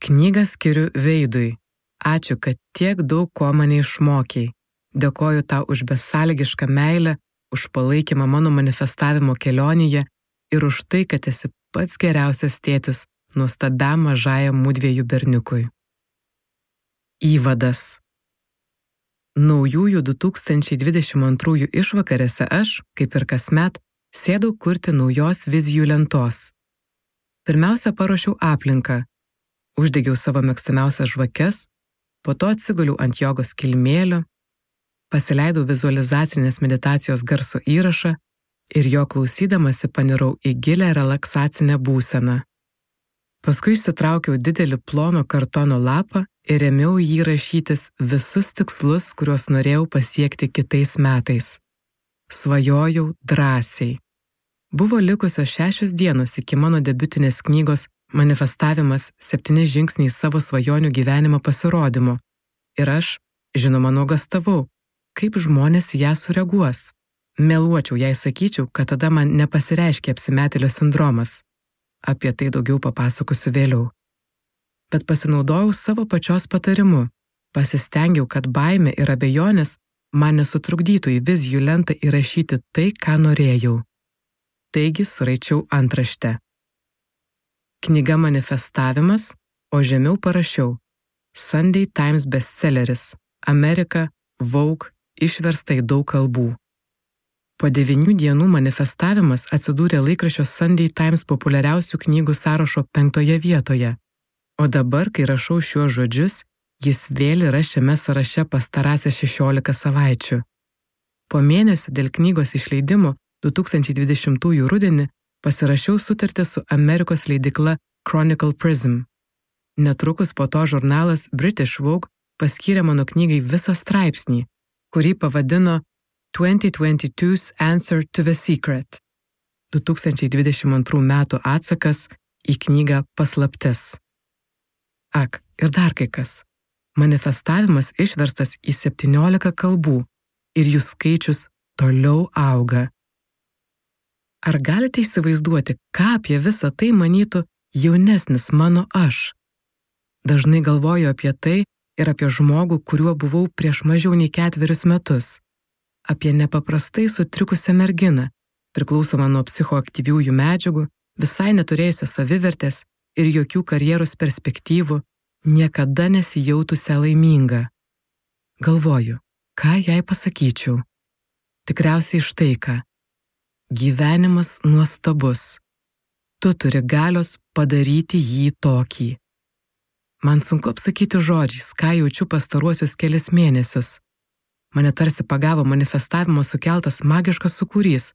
Knygą skiriu Veidui. Ačiū, kad tiek daug ko mane išmokei. Dėkoju tau už besąlygišką meilę, už palaikymą mano manifestavimo kelionėje ir už tai, kad esi pats geriausias tėtis nuostabiam mažajam mudviejų berniukui. Įvadas. Naujųjų 2022 išvakarėse aš, kaip ir kasmet, sėdau kurti naujos vizijų lentos. Pirmiausia, paruošiau aplinką. Uždegiau savo mėgstamiausias žvakes, po to atsiguliau ant jogos kilimėlio, pasileidau vizualizacinės meditacijos garso įrašą ir jo klausydamasi panirau į gilią relaksacinę būseną. Paskui išsitraukiau didelį plono kartono lapą ir ėmiau jį rašytis visus tikslus, kuriuos norėjau pasiekti kitais metais. Svajojau drąsiai. Buvo likusios 6 dienos iki mano debiutinės knygos Manifestavimas 7 žingsniai savo svajonių gyvenimo pasirodymo. Ir aš, žinoma, nuogastavau, kaip žmonės ją sureaguos. Meluočiau, jei sakyčiau, kad tada man nepasireiškė apsimetėlio sindromas. Apie tai daugiau papasakosiu vėliau. Bet pasinaudojau savo pačios patarimu. Pasistengiau, kad baimė ir abejonės man nesutrukdytų į vizijų lentą įrašyti tai, ką norėjau. Taigi suraičiau antraštę. Knyga Manifestavimas, o žemiau parašiau Sunday Times bestselleris, Amerika, Vogue, išversta į daug kalbų. Po 9 dienų Manifestavimas atsidūrė laikraščio Sunday Times populiariausių knygų sąrašo 5 vietoje, o dabar, kai rašau šiuos žodžius, jis vėl yra šiame sąraše pastarąsias 16 savaičių. Po mėnesio dėl knygos išleidimo 2020 rudenį pasirašiau sutartį su Amerikos leidykla Chronicle Prism. Netrukus po to žurnalas British Vogue paskyrė mano knygai visą straipsnį, kurį pavadino 2022's Answer to the Secret. 2022 metų atsakas į knygą Paslaptis. Ak, ir dar kai kas. Manifestavimas išverstas į 17 kalbų ir jų skaičius toliau auga. Ar galite įsivaizduoti, ką apie visą tai manytų jaunesnis mano aš? Dažnai galvoju apie tai ir apie žmogų, kuriuo buvau prieš mažiau nei 4 metus. Apie nepaprastai sutrikusią merginą, priklausomą nuo psichoaktyviųjų medžiagų, visai neturėjusią savivertės ir jokių karjeros perspektyvų, niekada nesijautusią laimingą. Galvoju, ką jai pasakyčiau? Tikriausiai štai ką. Gyvenimas nuostabus. Tu turi galios padaryti jį tokį. Man sunku apsakyti žodžiais, ką jaučiu pastaruosius kelis mėnesius. Mane tarsi pagavo manifestavimo sukeltas magiškas sūkurys,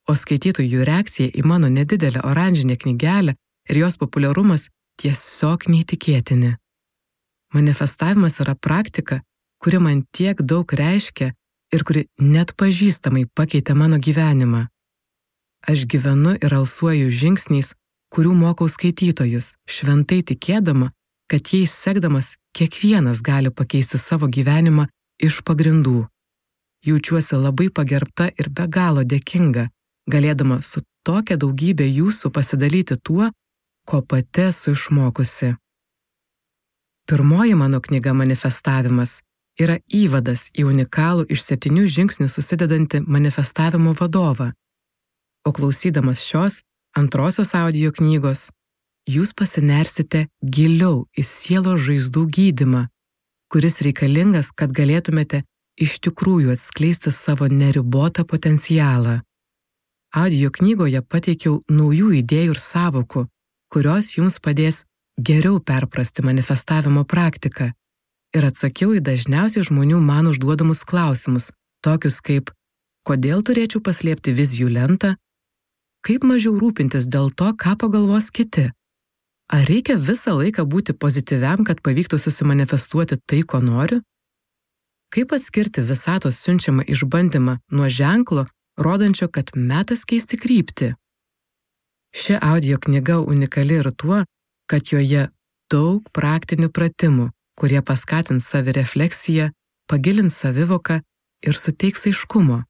o skaitytojų reakcija į mano nedidelę oranžinę knygelę ir jos populiarumas tiesiog neįtikėtini. Manifestavimas yra praktika, kuri man tiek daug reiškia ir kuri net pažįstamai pakeitė mano gyvenimą. Aš gyvenu ir alsuoju žingsniais, kurių mokau skaitytojus, šventai tikėdama, kad jais sekdamas kiekvienas gali pakeisti savo gyvenimą iš pagrindų. Jaučiuosi labai pagerbta ir be galo dėkinga, galėdama su tokia daugybė jūsų pasidalyti tuo, ko pati esu išmokusi. Pirmoji mano knyga Manifestavimas yra įvadas į unikalų iš 7 žingsnių susidedantį manifestavimo vadovą. O klausydamas šios antrosios audio knygos, jūs pasinersite giliau į sielos žaizdų gydymą, kuris reikalingas, kad galėtumėte iš tikrųjų atskleisti savo neribotą potencialą. Audio knygoje pateikiau naujų idėjų ir sąvokų, kurios jums padės geriau perprasti manifestavimo praktiką ir atsakiau į dažniausiai žmonių man užduodamus klausimus, tokius kaip, kodėl turėčiau paslėpti vizijų lentą, kaip mažiau rūpintis dėl to, ką pagalvos kiti, ar reikia visą laiką būti pozityviam, kad pavyktų susimanifestuoti tai, ko noriu, kaip atskirti visatos siunčiamą išbandymą nuo ženklo, rodančio, kad metas keisti kryptį. Ši audio knyga unikali ir tuo, kad joje daug praktinių pratimų, kurie paskatins savirefleksiją, pagilins savivoką ir suteiks aiškumo.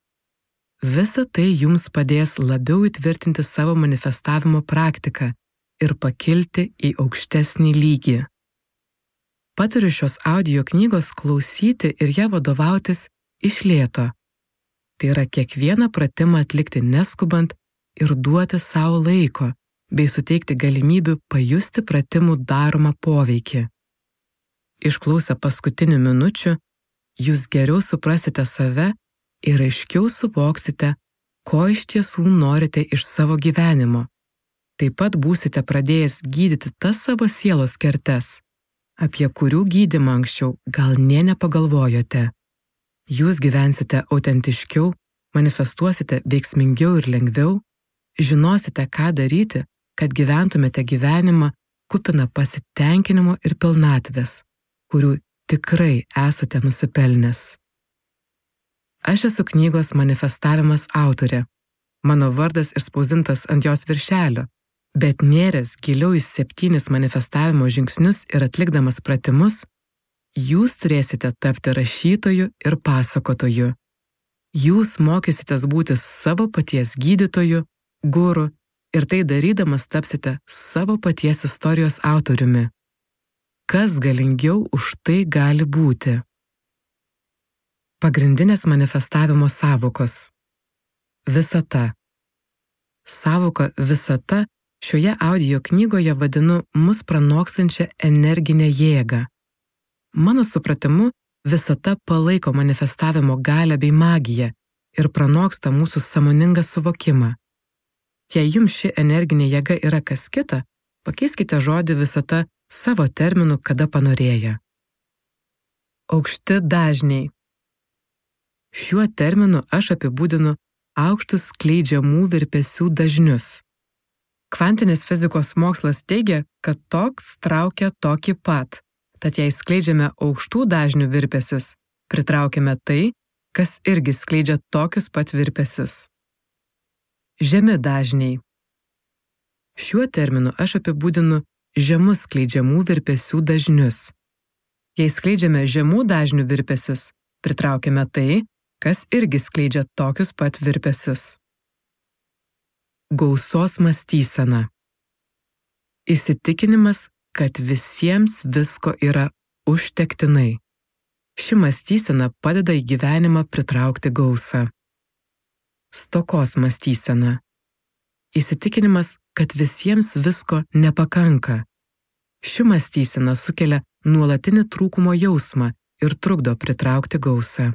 Visa tai jums padės labiau įtvirtinti savo manifestavimo praktiką ir pakilti į aukštesnį lygį. Patariu šios audio knygos klausyti ir ją vadovautis iš lėto. Tai yra kiekvieną pratimą atlikti neskubant ir duoti savo laiko, bei suteikti galimybių pajusti pratimų daromą poveikį. Išklausę paskutinių minučių, jūs geriau suprasite save ir aiškiau suvoksite, ko iš tiesų norite iš savo gyvenimo. Taip pat būsite pradėjęs gydyti tas savo sielos kertes, apie kurių gydymą anksčiau gal nė nepagalvojote. Jūs gyvensite autentiškiau, manifestuosite veiksmingiau ir lengviau, žinosite, ką daryti, kad gyventumėte gyvenimą kupiną pasitenkinimo ir pilnatvės, kurių tikrai esate nusipelnęs. Aš esu knygos Manifestavimas autorė. Mano vardas išspausdintas ant jos viršelio, bet nėręs giliau į 7 manifestavimo žingsnius ir atlikdamas pratimus, jūs turėsite tapti rašytoju ir pasakotoju. Jūs mokysitės būti savo paties gydytoju, guru ir tai darydamas tapsite savo paties istorijos autoriumi. Kas galingiau už tai gali būti? Pagrindinės manifestavimo sąvokos. Visata. Sąvoka visata šioje audio knygoje vadinu mus pranokstančią energinę jėgą. Mano supratimu, visata palaiko manifestavimo galią bei magiją ir pranoksta mūsų sąmoningą suvokimą. Jei jums ši energinė jėga yra kas kita, pakeiskite žodį visata savo terminu, kada panorėję. Aukšti dažniai. Šiuo terminu aš apibūdinu aukštus skleidžiamų virpesių dažnius. Kvantinės fizikos mokslas teigia, kad toks traukia tokį pat. Tad jei skleidžiame aukštų dažnių virpesius, pritraukiame tai, kas irgi skleidžia tokius pat virpesius. Žemi dažniai. Šiuo terminu aš apibūdinu žemus skleidžiamų virpesių dažnius. Jei skleidžiame žemų dažnių virpesius, pritraukiame tai, kas irgi skleidžia tokius pat virpesius. Gausos mąstysena. Įsitikinimas, kad visiems visko yra užtektinai. Ši mąstysena padeda į gyvenimą pritraukti gausą. Stokos mąstysena. Įsitikinimas, kad visiems visko nepakanka. Ši mąstysena sukelia nuolatinį trūkumo jausmą ir trukdo pritraukti gausą.